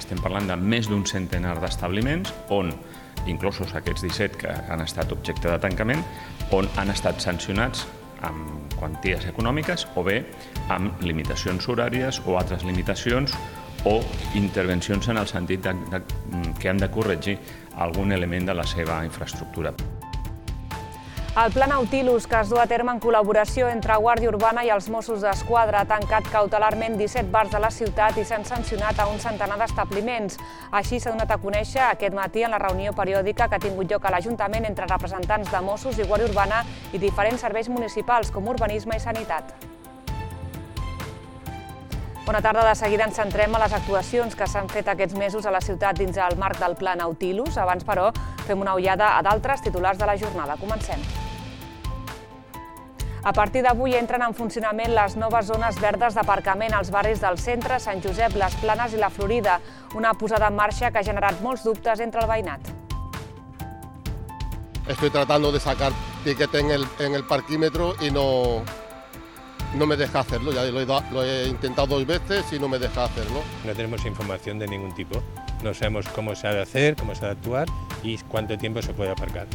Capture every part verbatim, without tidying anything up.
estem parlant de més d'un centenar d'establiments on, inclosos aquests disset que han estat objecte de tancament, on han estat sancionats amb quanties econòmiques o bé amb limitacions horàries o altres limitacions o intervencions en el sentit de, de, que han de corregir algun element de la seva infraestructura. El Pla Nautilus, que es du a terme en col·laboració entre Guàrdia Urbana i els Mossos d'Esquadra, ha tancat cautelarment disset bars de la ciutat i s'han sancionat a un centenar d'establiments. Així s'ha donat a conèixer aquest matí en la reunió periòdica que ha tingut lloc a l'Ajuntament entre representants de Mossos i Guàrdia Urbana i diferents serveis municipals com Urbanisme i Sanitat. Bona tarda. De seguida ens centrem a les actuacions que s'han fet aquests mesos a la ciutat dins el marc del Pla Nautilus. Abans, però, fem una ullada a d'altres titulars de la jornada. Comencem. A partir d'avui entren en funcionament les noves zones verdes d'aparcament als barris del centre, Sant Josep, Les Planes i la Florida, una posada en marxa que ha generat molts dubtes entre el veïnat. Estoy tratando de sacar piquete en el, en el parquímetro y no, no me deja hacerlo. Ya lo he, lo he intentado dos veces y no me deja hacerlo. No tenemos información de ningún tipo. No sabemos cómo se ha de hacer, cómo se ha de actuar y cuánto tiempo se puede aparcar.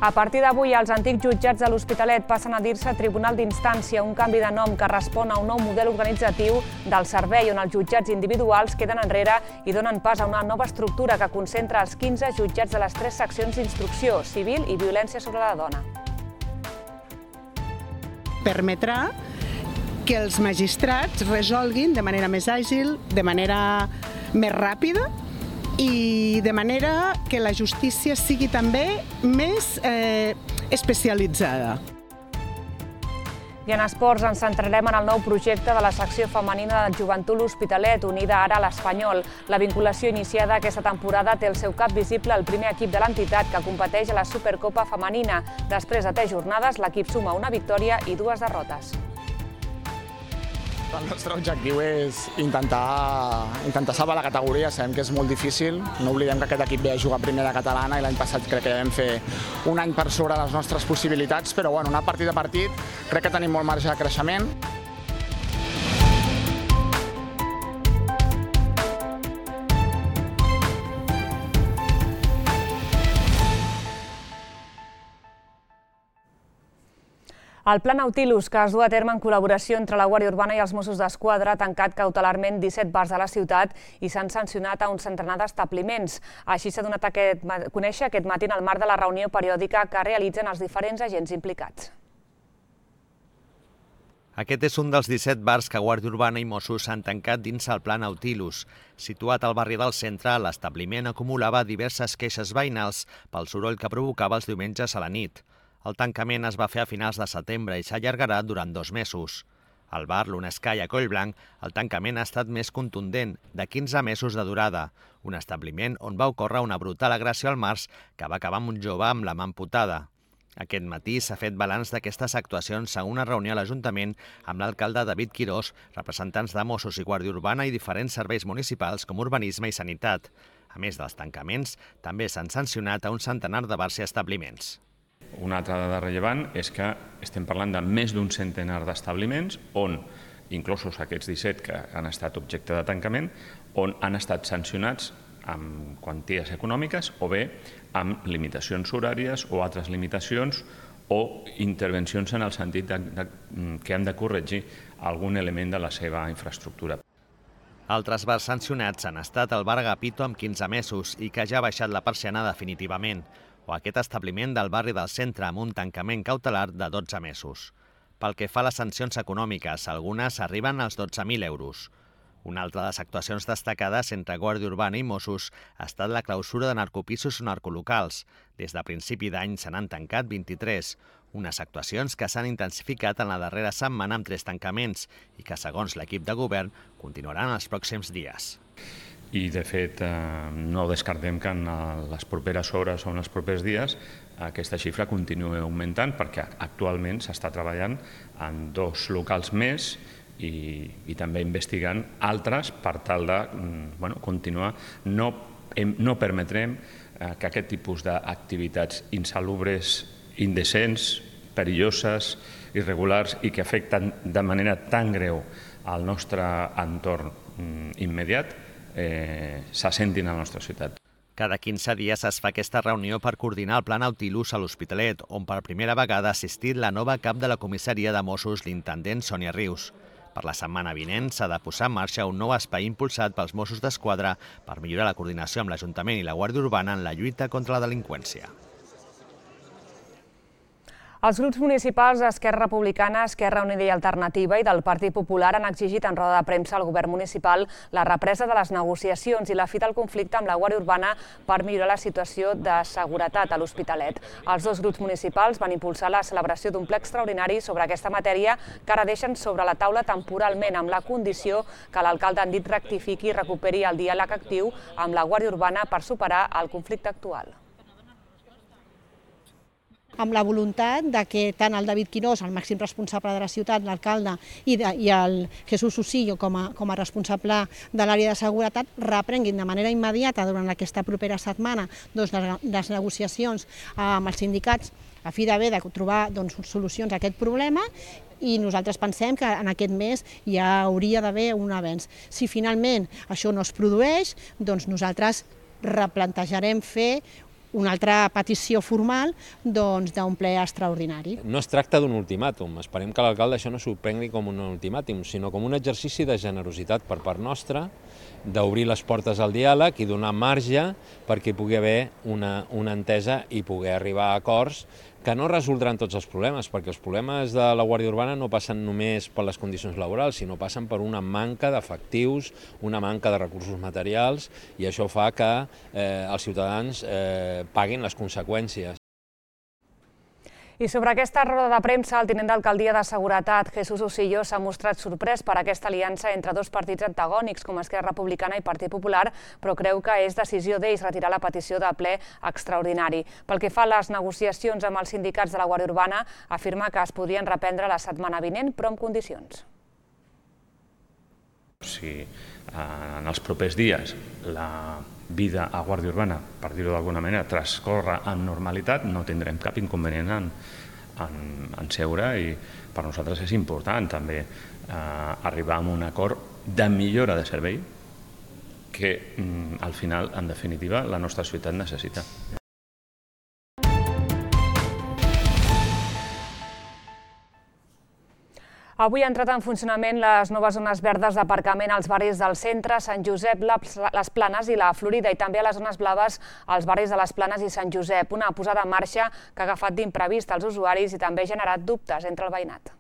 A partir d'avui, els antics jutjats de l'Hospitalet passen a dir-se Tribunal d'Instància, un canvi de nom que respon a un nou model organitzatiu del servei on els jutjats individuals queden enrere i donen pas a una nova estructura que concentra els quinze jutjats de les tres seccions d'instrucció, civil i violència sobre la dona. Permetrà que els magistrats resolguin de manera més àgil, de manera més ràpida, i de manera que la justícia sigui també més eh, especialitzada. I en esports ens centrarem en el nou projecte de la secció femenina del Joventut L'Hospitalet, unida ara a l'Espanyol. La vinculació iniciada aquesta temporada té el seu cap visible al primer equip de l'entitat que competeix a la Supercopa femenina. Després de tres jornades, l'equip suma una victòria i dues derrotes. El nostre objectiu és intentar, intentar salvar la categoria. Sabem que és molt difícil. No oblidem que aquest equip ve a jugar a primera catalana i l'any passat crec que vam fer un any per sobre les nostres possibilitats, però bueno, anar partit a partit crec que tenim molt marge de creixement. El Pla Nautilus, que es du a terme en col·laboració entre la Guàrdia Urbana i els Mossos d'Esquadra, ha tancat cautelarment disset bars de la ciutat i s'han sancionat a un centenar d'establiments. Així s'ha donat a conèixer aquest matí en el marc de la reunió periòdica que realitzen els diferents agents implicats. Aquest és un dels disset bars que Guàrdia Urbana i Mossos han tancat dins el Pla Nautilus. Situat al barri del centre, l'establiment acumulava diverses queixes veïnals pel soroll que provocava els diumenges a la nit. El tancament es va fer a finals de setembre i s'allargarà durant dos mesos. Al bar Lunesky a Collblanc, el tancament ha estat més contundent, de quinze mesos de durada, un establiment on va ocórrer una brutal agressió al març que va acabar amb un jove amb la mà amputada. Aquest matí s'ha fet balanç d'aquestes actuacions a una reunió a l'Ajuntament amb l'alcalde David Quirós, representants de Mossos i Guàrdia Urbana i diferents serveis municipals com Urbanisme i Sanitat. A més dels tancaments, també s'han sancionat a un centenar de bars i establiments. Una altra dada rellevant és que estem parlant de més d'un centenar d'establiments on, inclosos aquests disset que han estat objecte de tancament, on han estat sancionats amb quanties econòmiques o bé amb limitacions horàries o altres limitacions o intervencions en el sentit de, de, que han de corregir algun element de la seva infraestructura. Altres bars sancionats han estat el bar Agapito amb quinze mesos i que ja ha baixat la persiana definitivament, o aquest establiment del barri del centre amb un tancament cautelar de dotze mesos. Pel que fa a les sancions econòmiques, algunes arriben als dotze mil euros. Una altra de les actuacions destacades entre Guàrdia Urbana i Mossos ha estat la clausura de narcopisos o narcolocals. Des de principi d'any se n'han tancat vint-i-tres, unes actuacions que s'han intensificat en la darrera setmana amb tres tancaments i que, segons l'equip de govern, continuaran els pròxims dies. I, de fet, no descartem que en les properes hores o en els propers dies aquesta xifra continuï augmentant perquè actualment s'està treballant en dos locals més i, i també investigant altres per tal de bueno, continuar. No, no permetrem que aquest tipus d'activitats insalubres, indecents, perilloses, irregulars i que afecten de manera tan greu al nostre entorn immediat eh, s'assentin a la nostra ciutat. Cada quinze dies es fa aquesta reunió per coordinar el Pla Nautilus a l'Hospitalet, on per primera vegada ha assistit la nova cap de la comissaria de Mossos, l'intendent Sònia Rius. Per la setmana vinent s'ha de posar en marxa un nou espai impulsat pels Mossos d'Esquadra per millorar la coordinació amb l'Ajuntament i la Guàrdia Urbana en la lluita contra la delinqüència. Els grups municipals d'Esquerra Republicana, Esquerra Unida i Alternativa i del Partit Popular han exigit en roda de premsa al govern municipal la represa de les negociacions i la fi del conflicte amb la Guàrdia Urbana per millorar la situació de seguretat a l'Hospitalet. Els dos grups municipals van impulsar la celebració d'un ple extraordinari sobre aquesta matèria que ara deixen sobre la taula temporalment amb la condició que l'alcalde han dit rectifiqui i recuperi el diàleg actiu amb la Guàrdia Urbana per superar el conflicte actual. Amb la voluntat de que tant el David Quirós, el màxim responsable de la ciutat, l'alcalde, i, i el Jesús Usillo com a, com a responsable de l'àrea de seguretat reprenguin de manera immediata durant aquesta propera setmana doncs, les negociacions amb els sindicats a fi d'haver de trobar doncs, solucions a aquest problema, i nosaltres pensem que en aquest mes ja hauria d'haver un avenç. Si finalment això no es produeix, doncs nosaltres replantejarem fer una altra petició formal d'un ple extraordinari. No es tracta d'un ultimàtum, esperem que l'alcalde això no s'ho prengui com un ultimàtum, sinó com un exercici de generositat per part nostra, d'obrir les portes al diàleg i donar marge perquè hi pugui haver una, una entesa i poder arribar a acords que no resoldran tots els problemes, perquè els problemes de la Guàrdia Urbana no passen només per les condicions laborals, sinó passen per una manca d'efectius, una manca de recursos materials, i això fa que eh, els ciutadans eh, paguin les conseqüències. I sobre aquesta roda de premsa, el tinent d'alcaldia de Seguretat, Jesús Usillo, s'ha mostrat sorprès per aquesta aliança entre dos partits antagònics, com Esquerra Republicana i Partit Popular, però creu que és decisió d'ells retirar la petició de ple extraordinari. Pel que fa a les negociacions amb els sindicats de la Guàrdia Urbana, afirma que es podrien reprendre la setmana vinent, però amb condicions. Si en els propers dies la vida a Guàrdia Urbana, per dir-ho d'alguna manera, transcorre amb normalitat, no tindrem cap inconvenient en, en, en seure, i per nosaltres és important també eh, arribar a un acord de millora de servei que mm, al final, en definitiva, la nostra ciutat necessita. Avui han entrat en funcionament les noves zones verdes d'aparcament als barris del centre, Sant Josep, les Planes i la Florida, i també a les zones blaves als barris de les Planes i Sant Josep. Una posada en marxa que ha agafat d'imprevist els usuaris i també ha generat dubtes entre el veïnat.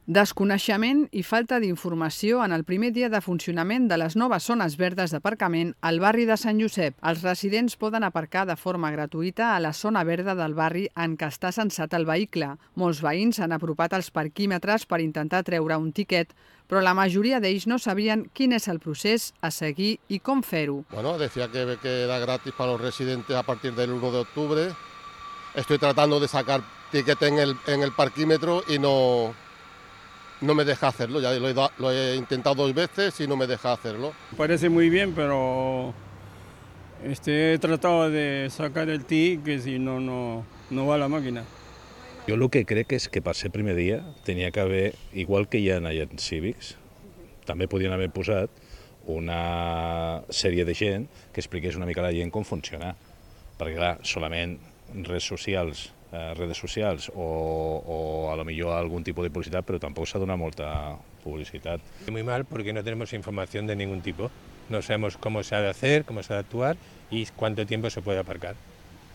Desconeixement i falta d'informació en el primer dia de funcionament de les noves zones verdes d'aparcament al barri de Sant Josep. Els residents poden aparcar de forma gratuïta a la zona verda del barri en què està censat el vehicle. Molts veïns s'han apropat als parquímetres per intentar treure un tiquet, però la majoria d'ells no sabien quin és el procés a seguir i com fer-ho. Bueno, decía que, que era gratis para los residentes a partir del uno de octubre. Estoy tratando de sacar tiquet en el, en el parquímetro y no... no me deja hacerlo, ya lo he, lo he intentado dos veces y no me deja hacerlo. Parece muy bien, pero este, he tratado de sacar el ticket, si no, no, no va la máquina. Jo el que crec és que per ser primer dia tenia que haver, igual que hi ha en agents cívics, també podien haver posat una sèrie de gent que expliqués una mica a la gent com funciona, perquè clar, solament redes socials, eh, redes socials o, o a lo millor algún tipo de publicitat, però tampoc s'ha donat molta publicitat. Muy mal porque no tenemos información de ningún tipo. No sabemos cómo se ha de hacer, cómo se ha de actuar y cuánto tiempo se puede aparcar.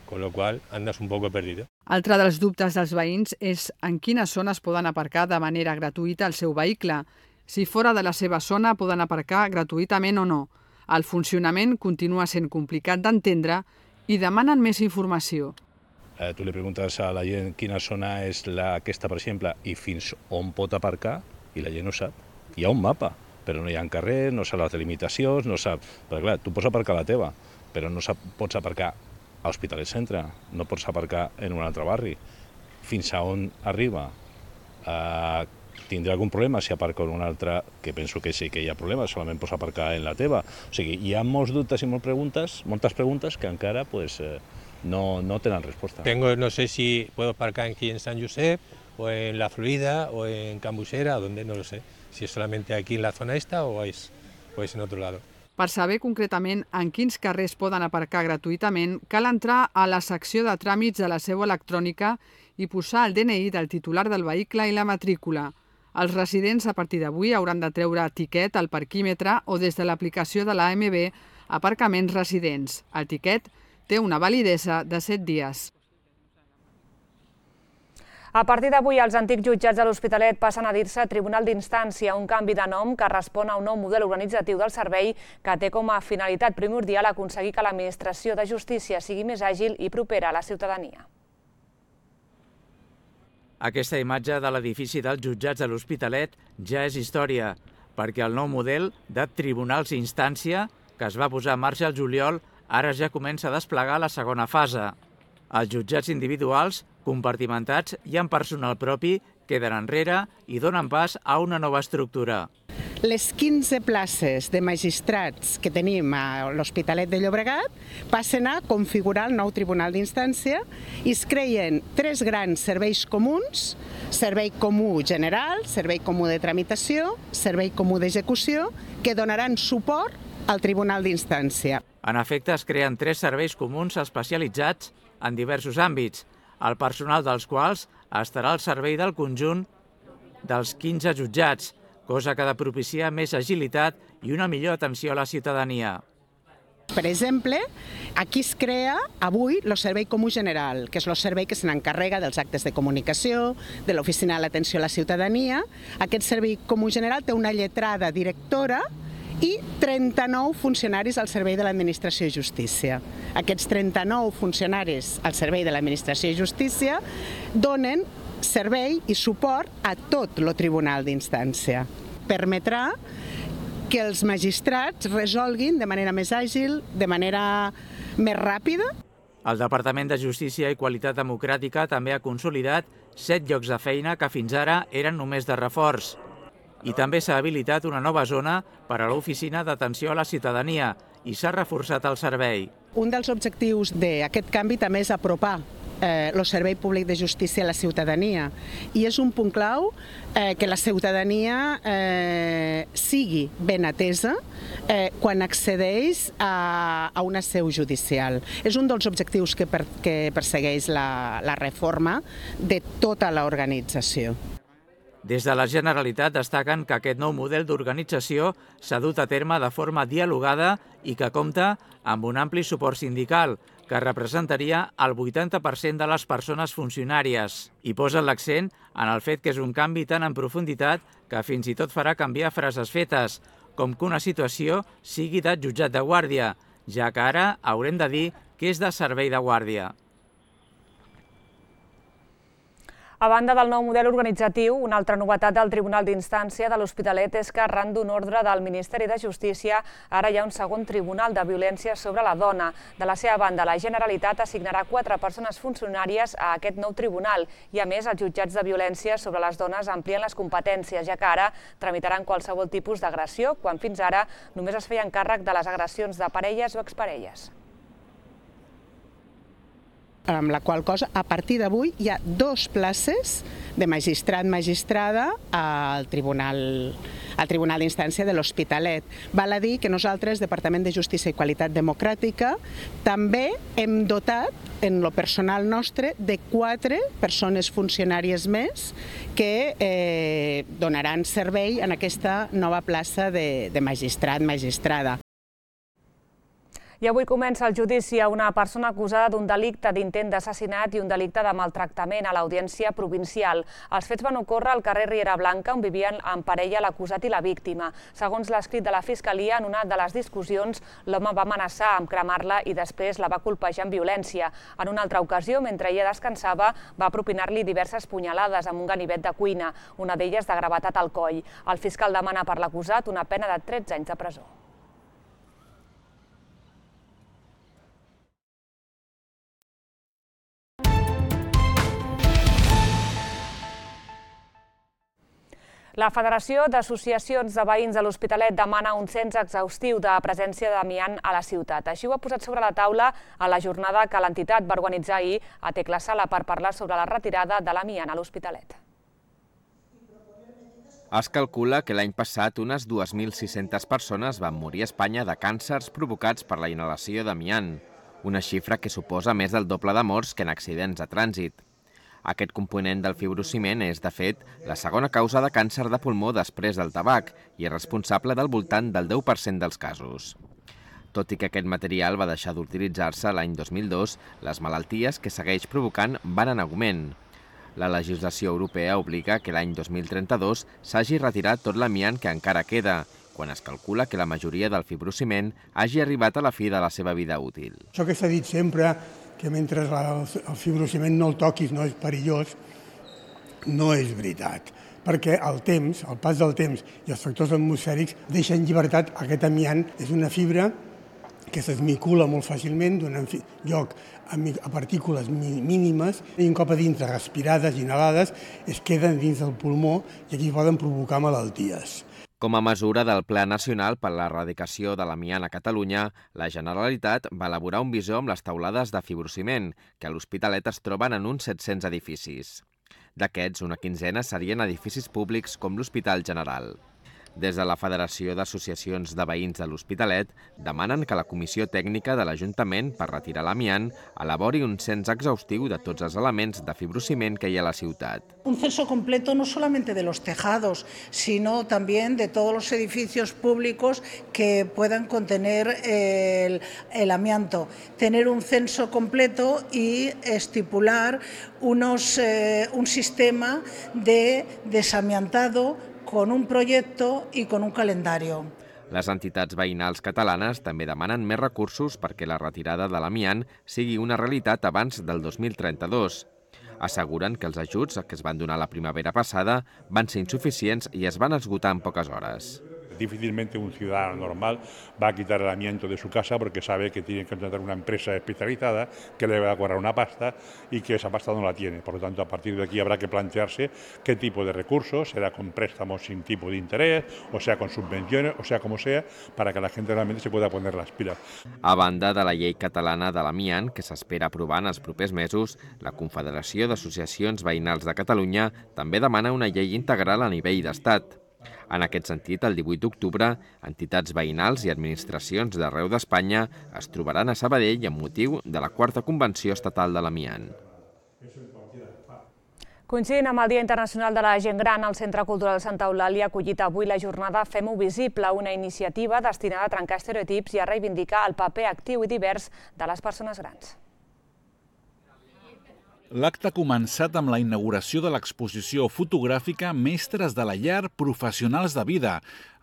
Con lo cual andas un poco perdido. Altre dels dubtes dels veïns és en quines zones poden aparcar de manera gratuïta el seu vehicle. Si fora de la seva zona poden aparcar gratuïtament o no. El funcionament continua sent complicat d'entendre i demanen més informació. Eh, tu li preguntes a la gent quina zona és la aquesta, per exemple, i fins on pot aparcar, i la gent no sap. Hi ha un mapa, però no hi ha carrer, no sap les delimitacions, no sap... Perquè clar, tu pots aparcar a la teva, però no sap, pots aparcar a Hospitalet Centre, no pots aparcar en un altre barri. Fins a on arriba? Eh, tindrà algun problema si aparca en un altre, que penso que sí que hi ha problema, solament pots aparcar en la teva. O sigui, hi ha molts dubtes i moltes preguntes, moltes preguntes que encara pues, eh, no, no tenen resposta. Tengo, no sé si puedo aparcar aquí en Sant Josep o en La Florida, o en Cambuchera, o donde, no lo sé. Si es solamente aquí en la zona esta o es, o es en otro lado. Per saber concretament en quins carrers poden aparcar gratuïtament, cal entrar a la secció de tràmits de la seu electrònica i posar el D N I del titular del vehicle i la matrícula. Els residents a partir d'avui hauran de treure tiquet al parquímetre o des de l'aplicació de l'A M B Aparcaments Residents. El tiquet té una validesa de set dies. A partir d'avui, els antics jutjats de l'Hospitalet passen a dir-se Tribunal d'Instància, un canvi de nom que respon a un nou model organitzatiu del servei que té com a finalitat primordial aconseguir que l'administració de justícia sigui més àgil i propera a la ciutadania. Aquesta imatge de l'edifici dels jutjats de l'Hospitalet ja és història, perquè el nou model de Tribunals d'Instància, que es va posar en marxa al juliol, ara ja comença a desplegar la segona fase. Els jutjats individuals, compartimentats i amb personal propi, queden enrere i donen pas a una nova estructura. Les quinze places de magistrats que tenim a l'Hospitalet de Llobregat passen a configurar el nou Tribunal d'Instància i es creen tres grans serveis comuns: servei comú general, servei comú de tramitació, servei comú d'execució, que donaran suport al Tribunal d'Instància. En efecte, es creen tres serveis comuns especialitzats en diversos àmbits, el personal dels quals estarà al servei del conjunt dels quinze jutjats, cosa que ha de propiciar més agilitat i una millor atenció a la ciutadania. Per exemple, aquí es crea avui el Servei Comú General, que és el servei que se n'encarrega dels actes de comunicació, de l'Oficina de l'Atenció a la Ciutadania. Aquest Servei Comú General té una lletrada directora i trenta-nou funcionaris al servei de l'Administració de Justícia. Aquests trenta-nou funcionaris al servei de l'Administració de Justícia donen servei i suport a tot el Tribunal d'Instància. Permetrà que els magistrats resolguin de manera més àgil, de manera més ràpida. El Departament de Justícia i Qualitat Democràtica també ha consolidat set llocs de feina que fins ara eren només de reforç. I també s'ha habilitat una nova zona per a l'Oficina d'Atenció a la Ciutadania i s'ha reforçat el servei. Un dels objectius d'aquest canvi també és apropar el servei públic de justícia a la ciutadania i és un punt clau que la ciutadania sigui ben atesa quan accedeix a una seu judicial. És un dels objectius que persegueix la reforma de tota l'organització. Des de la Generalitat destaquen que aquest nou model d'organització s'ha dut a terme de forma dialogada i que compta amb un ampli suport sindical, que representaria el vuitanta per cent de les persones funcionàries. I posen l'accent en el fet que és un canvi tan en profunditat que fins i tot farà canviar frases fetes, com que una situació sigui de jutjat de guàrdia, ja que ara haurem de dir que és de servei de guàrdia. A banda del nou model organitzatiu, una altra novetat del Tribunal d'Instància de l'Hospitalet és que arran d'un ordre del Ministeri de Justícia ara hi ha un segon tribunal de violència sobre la dona. De la seva banda, la Generalitat assignarà quatre persones funcionàries a aquest nou tribunal i, a més, els jutjats de violència sobre les dones amplien les competències, ja que ara tramitaran qualsevol tipus d'agressió, quan fins ara només es feien càrrec de les agressions de parelles o exparelles. Amb la qual cosa, a partir d'avui, hi ha dos places de magistrat-magistrada al Tribunal al Tribunal d'Instància de l'Hospitalet. Val a dir que nosaltres, Departament de Justícia i Qualitat Democràtica, també hem dotat, en lo personal nostre, de quatre persones funcionàries més que donaran servei en aquesta nova plaça de magistrat-magistrada. I avui comença el judici a una persona acusada d'un delicte d'intent d'assassinat i un delicte de maltractament a l'Audiència Provincial. Els fets van ocórrer al carrer Riera Blanca, on vivien en parella l'acusat i la víctima. Segons l'escrit de la Fiscalia, en una de les discussions, l'home va amenaçar amb cremar-la i després la va colpejar amb violència. En una altra ocasió, mentre ella descansava, va propinar-li diverses punyalades amb un ganivet de cuina, una d'elles de gravetat al coll. El fiscal demana per l'acusat una pena de tretze anys de presó. La Federació d'Associacions de Veïns de l'Hospitalet demana un cens exhaustiu de presència d'amiant a la ciutat. Així ho ha posat sobre la taula a la jornada que l'entitat va organitzar ahir a Tecla Sala per parlar sobre la retirada de l'amiant a l'Hospitalet. Es calcula que l'any passat unes dues mil sis-centes persones van morir a Espanya de càncers provocats per la inhalació d'amiant, una xifra que suposa més del doble de morts que en accidents de trànsit. Aquest component del fibrociment és, de fet, la segona causa de càncer de pulmó després del tabac i és responsable del voltant del deu per cent dels casos. Tot i que aquest material va deixar d'utilitzar-se l'any dos mil dos, les malalties que segueix provocant van en augment. La legislació europea obliga que l'any dos mil trenta-dos s'hagi retirat tot l'amiant que encara queda, quan es calcula que la majoria del fibrociment hagi arribat a la fi de la seva vida útil. Això que s'ha dit sempre, que mentre el fibrociment no el toquis no és perillós, no és veritat, perquè el temps, el pas del temps i els factors atmosfèrics deixen llibertat aquest amiant. És una fibra que s'esmicula molt fàcilment, donant lloc a partícules mínimes i un cop a dintre, respirades, inhalades, es queden dins del pulmó i aquí poden provocar malalties. Com a mesura del Pla Nacional per a l'Erradicació de l'Amiant a Catalunya, la Generalitat va elaborar un visor amb les teulades de fibrociment, que a l'Hospitalet es troben en uns set-cents edificis. D'aquests, una quinzena serien edificis públics com l'Hospital General. Des de la Federació d'Associacions de Veïns de l'Hospitalet demanen que la Comissió Tècnica de l'Ajuntament per retirar l'amiant elabori un cens exhaustiu de tots els elements de fibrociment que hi ha a la ciutat. Un censo completo no solamente de los tejados, sino también de todos los edificios públicos que puedan contener el, el amianto. Tener un censo completo y estipular unos, eh, un sistema de desamiantado con un proyecto y con un calendario. Les entitats veïnals catalanes també demanen més recursos perquè la retirada de l'amiant sigui una realitat abans del dos mil trenta-dos. Asseguren que els ajuts que es van donar la primavera passada van ser insuficients i es van esgotar en poques hores. Difícilmente un ciudadano normal va a quitar el amianto de su casa porque sabe que tiene que contratar una empresa especializada que le va a cobrar una pasta y que esa pasta no la tiene. Por lo tanto, a partir de aquí habrá que plantearse qué tipo de recursos, será con préstamos sin tipo de interés, o sea con subvenciones, o sea como sea, para que la gente realmente se pueda poner las pilas. A banda de la llei catalana de l'amiant, que s'espera aprovar en els propers mesos, la Confederació d'Associacions Veïnals de Catalunya també demana una llei integral a nivell d'estat. En aquest sentit, el divuit d'octubre, entitats veïnals i administracions d'arreu d'Espanya es trobaran a Sabadell amb motiu de la quarta Convenció Estatal de l'Amiant. Coincidint amb el Dia Internacional de la Gent Gran, el Centre Cultural Santa Eulàlia ha acollit avui la jornada Fem-ho visible, una iniciativa destinada a trencar estereotips i a reivindicar el paper actiu i divers de les persones grans. L'acte ha començat amb la inauguració de l'exposició fotogràfica Mestres de la Llar, Professionals de Vida,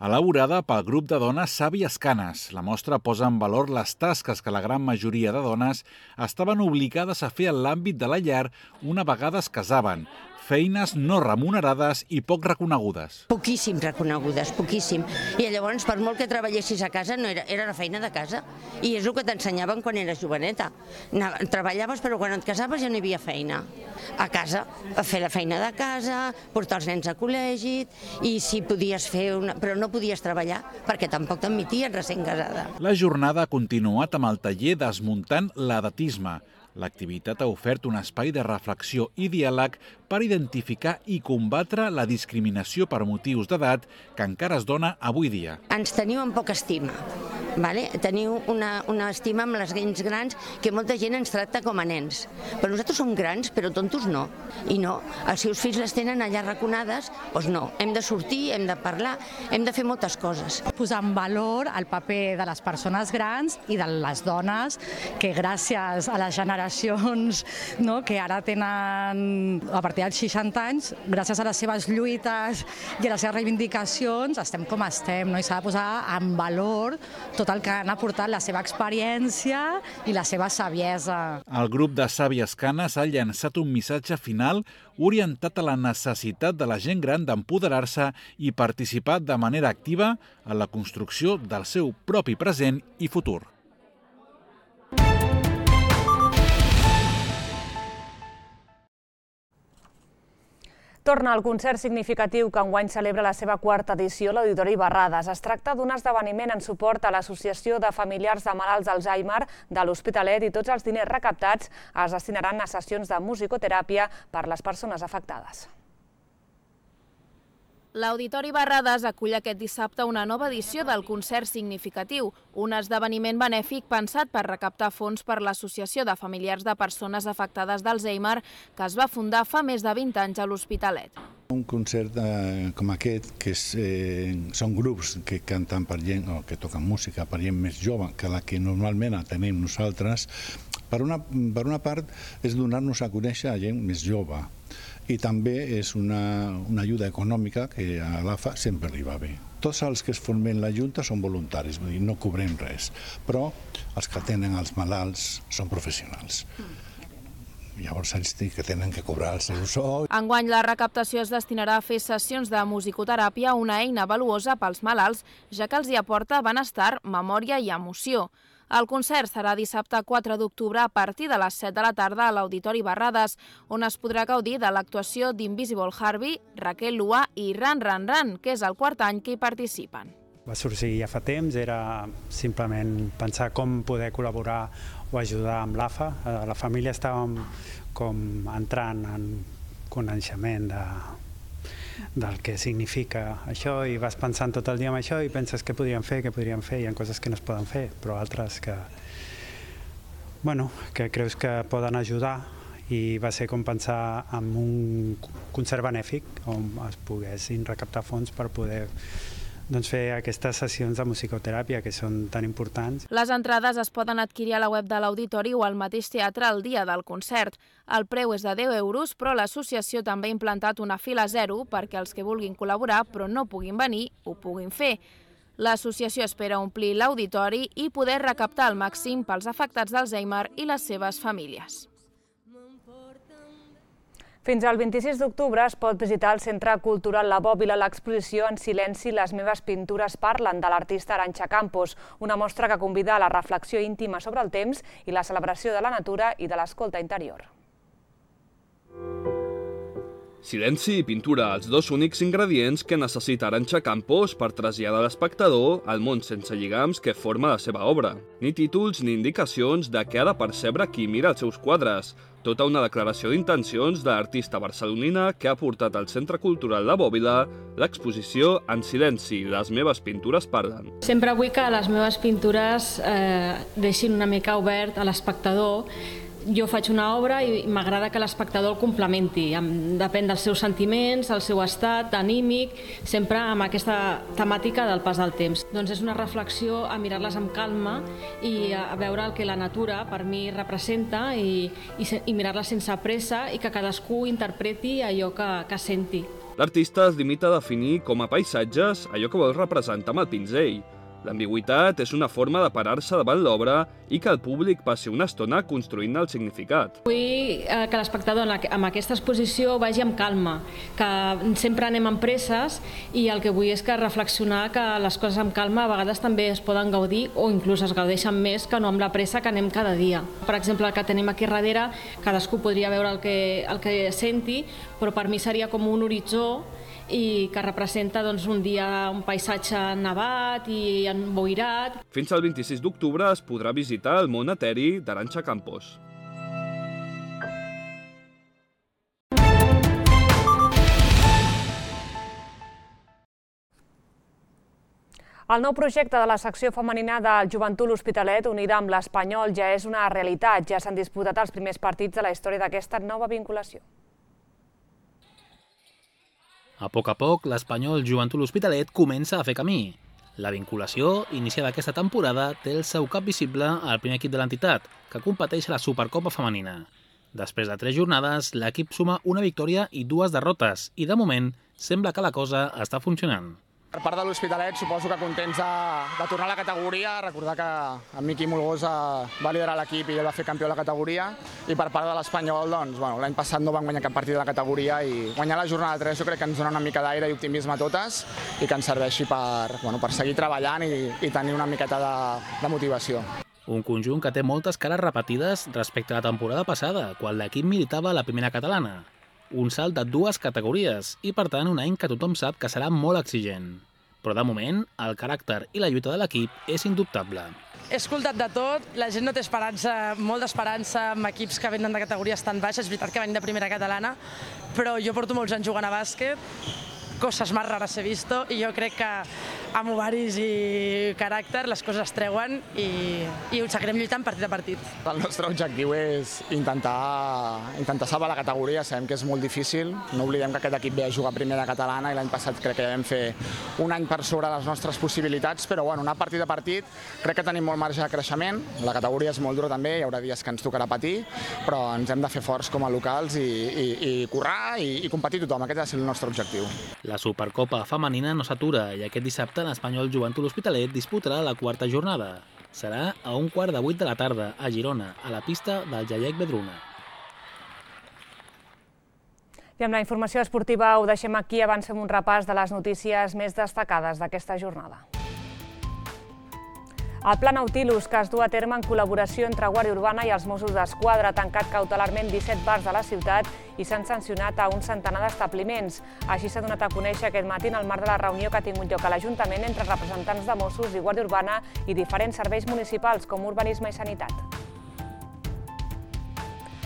elaborada pel grup de dones Sàvies Canes. La mostra posa en valor les tasques que la gran majoria de dones estaven obligades a fer en l'àmbit de la llar una vegada es casaven. Feines no remunerades i poc reconegudes. Poquíssim reconegudes, poquíssim. I llavors, per molt que treballessis a casa, no era, era la feina de casa. I és el que t'ensenyaven quan eres joveneta. Treballaves, però quan et casaves ja no hi havia feina. A casa, a fer la feina de casa, portar els nens a col·legi, i si podies fer una... però no podies treballar, perquè tampoc t'admitien recent casada. La jornada ha continuat amb el taller Desmuntant l'edatisme. L'activitat ha ofert un espai de reflexió i diàleg per identificar i combatre la discriminació per motius d'edat que encara es dona avui dia. Ens teniu en poca estima. Vale? Teniu una, una estima amb les gens grans que molta gent ens tracta com a nens. Però nosaltres som grans, però tontos no. I no, els seus fills les tenen allà raconades, doncs no. Hem de sortir, hem de parlar, hem de fer moltes coses. Posar en valor el paper de les persones grans i de les dones que gràcies a les generacions no, que ara tenen a partir dels seixanta anys, gràcies a les seves lluites i a les seves reivindicacions, estem com estem, no? I s'ha de posar en valor tot el que han aportat, la seva experiència i la seva saviesa. El grup de Sàvies Canes ha llançat un missatge final orientat a la necessitat de la gent gran d'empoderar-se i participar de manera activa en la construcció del seu propi present i futur. Torna el concert significatiu que enguany celebra la seva quarta edició a l'Auditori Barrades. Es tracta d'un esdeveniment en suport a l'Associació de Familiars de Malalts d'Alzheimer de l'Hospitalet i tots els diners recaptats es destinaran a sessions de musicoteràpia per les persones afectades. L'Auditori Barrades acull aquest dissabte una nova edició del Concert Significatiu, un esdeveniment benèfic pensat per recaptar fons per l'Associació de Familiars de Persones Afectades d'Alzheimer, que es va fundar fa més de vint anys a l'Hospitalet. Un concert eh, com aquest, que és, eh, són grups que canten per gent, o que toquen música per gent més jove que la que normalment tenim nosaltres, per una, per una part és donar-nos a conèixer a gent més jove, i també és una, una ajuda econòmica que a l'A F A sempre li va bé. Tots els que es formen la Junta són voluntaris, vull dir, no cobrem res, però els que tenen els malalts són professionals. Llavors ells que tenen que cobrar el seu sou. Enguany la recaptació es destinarà a fer sessions de musicoteràpia, una eina valuosa pels malalts, ja que els hi aporta benestar, memòria i emoció. El concert serà dissabte quatre d'octubre a partir de les set de la tarda a l'Auditori Barrades, on es podrà gaudir de l'actuació d'Invisible Harvey, Raquel Lua i Ran Ran Ran, que és el quart any que hi participen. Va sorgir ja fa temps, era simplement pensar com poder col·laborar o ajudar amb l'A F A. La família estàvem com entrant en coneixement de, del que significa això i vas pensant tot el dia en això i penses què podríem fer, què podríem fer. Hi ha coses que no es poden fer, però altres que, bueno, que creus que poden ajudar, i va ser com pensar en un concert benèfic on es poguessin recaptar fons per poder doncs, fer aquestes sessions de musicoteràpia que són tan importants. Les entrades es poden adquirir a la web de l'Auditori o al mateix teatre el dia del concert. El preu és de deu euros, però l'associació també ha implantat una fila zero perquè els que vulguin col·laborar però no puguin venir ho puguin fer. L'associació espera omplir l'auditori i poder recaptar al màxim pels afectats d'Alzheimer i les seves famílies. Fins al vint-i-sis d'octubre es pot visitar al Centre Cultural La Bòbila l'exposició En silenci, les meves pintures parlen, de l'artista Arantxa Campos, una mostra que convida a la reflexió íntima sobre el temps i la celebració de la natura i de l'escolta interior. Silenci i pintura, els dos únics ingredients que necessita Arantxa Campos per traslladar l'espectador al món sense lligams que forma la seva obra. Ni títols ni indicacions de què ha de percebre qui mira els seus quadres. Tota una declaració d'intencions de l'artista barcelonina que ha portat al Centre Cultural La Bòbila l'exposició En silenci, les meves pintures parlen. Sempre vull que les meves pintures eh, deixin una mica obert a l'espectador. Jo faig una obra i m'agrada que l'espectador el complementi, depèn dels seus sentiments, el seu estat anímic, sempre amb aquesta temàtica del pas del temps. Doncs és una reflexió a mirar-les amb calma i a veure el que la natura per mi representa i, i, i mirar-les sense pressa i que cadascú interpreti allò que, que senti. L'artista es limita a definir com a paisatges allò que vol representar amb el pinzell. L'ambigüitat és una forma de parar-se davant l'obra i que el públic passi una estona construint el significat. Vull que l'espectador amb aquesta exposició vagi amb calma, que sempre anem amb presses i el que vull és que reflexionar que les coses amb calma a vegades també es poden gaudir o inclús es gaudeixen més que no amb la pressa que anem cada dia. Per exemple, el que tenim aquí darrere, cadascú podria veure el que, el que senti, però per mi seria com un horitzó i que representa doncs, un dia un paisatge nevat i emboirat. Fins al vint-i-sis d'octubre es podrà visitar el món eteri d'Arantxa Campos. El nou projecte de la secció femenina del Joventut L'Hospitalet, unida amb l'Espanyol, ja és una realitat. Ja s'han disputat els primers partits de la història d'aquesta nova vinculació. A poc a poc, l'Espanyol Joventut L'Hospitalet comença a fer camí. La vinculació, iniciada aquesta temporada, té el seu cap visible al primer equip de l'entitat, que competeix a la Supercopa femenina. Després de tres jornades, l'equip suma una victòria i dues derrotes, i de moment sembla que la cosa està funcionant. Per part de l'Hospitalet, suposo que contents de, de tornar a la categoria, recordar que en Miqui Molgosa va liderar l'equip i ell va fer campió de la categoria, i per part de l'Espanyol, doncs, bueno, l'any passat no van guanyar cap partit de la categoria i guanyar la jornada tres jo crec que ens dona una mica d'aire i optimisme a totes i que ens serveixi per, bueno, per seguir treballant i, i tenir una miqueta de, de motivació. Un conjunt que té moltes cares repetides respecte a la temporada passada, quan l'equip militava a la primera catalana. Un salt de dues categories i, per tant, un any que tothom sap que serà molt exigent. Però, de moment, el caràcter i la lluita de l'equip és indubtable. He escoltat de tot, la gent no té esperança, molt d'esperança amb equips que venen de categories tan baixes, és veritat que venim de primera catalana, però jo porto molts anys jugant a bàsquet cosas más raras he visto y yo crec que amb ovaris i caràcter les coses es treuen i, i ho seguirem lluitant partit a partit. El nostre objectiu és intentar, intentar salvar la categoria, sabem que és molt difícil, no oblidem que aquest equip ve a jugar a primera catalana i l'any passat crec que vam fer un any per sobre les nostres possibilitats, però bueno, anar partit a partit crec que tenim molt marge de creixement, la categoria és molt dura també, hi haurà dies que ens tocarà patir, però ens hem de fer forts com a locals i, i, i currar i, i competir tothom, aquest ha de ser el nostre objectiu. La Supercopa femenina no s'atura i aquest dissabte l'Espanyol Joventut L'Hospitalet disputarà la quarta jornada. Serà a un quart de vuit de la tarda a Girona, a la pista del Jaiec Vedruna. I amb la informació esportiva ho deixem aquí, avancem un repàs de les notícies més destacades d'aquesta jornada. El Pla Nautilus, que es du a terme en col·laboració entre Guàrdia Urbana i els Mossos d'Esquadra, ha tancat cautelarment disset bars de la ciutat i s'han sancionat a un centenar d'establiments. Així s'ha donat a conèixer aquest matí en el marc de la reunió que ha tingut lloc a l'Ajuntament entre representants de Mossos i Guàrdia Urbana i diferents serveis municipals com urbanisme i sanitat.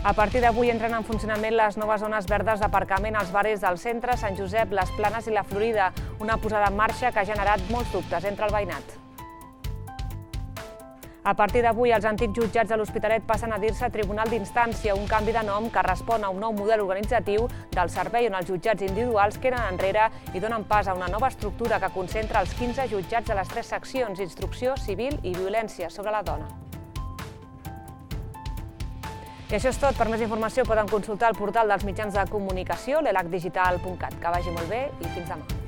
A partir d'avui entren en funcionament les noves zones verdes d'aparcament als barris del centre, Sant Josep, les Planes i la Florida, una posada en marxa que ha generat molts dubtes entre el veïnat. A partir d'avui, els antics jutjats de l'Hospitalet passen a dir-se Tribunal d'Instància, un canvi de nom que respon a un nou model organitzatiu del servei on els jutjats individuals queden enrere i donen pas a una nova estructura que concentra els quinze jutjats de les tres seccions, instrucció, civil i violència sobre la dona. I això és tot. Per més informació poden consultar el portal dels mitjans de comunicació, l'elac digital punt cat. Que vagi molt bé i fins demà.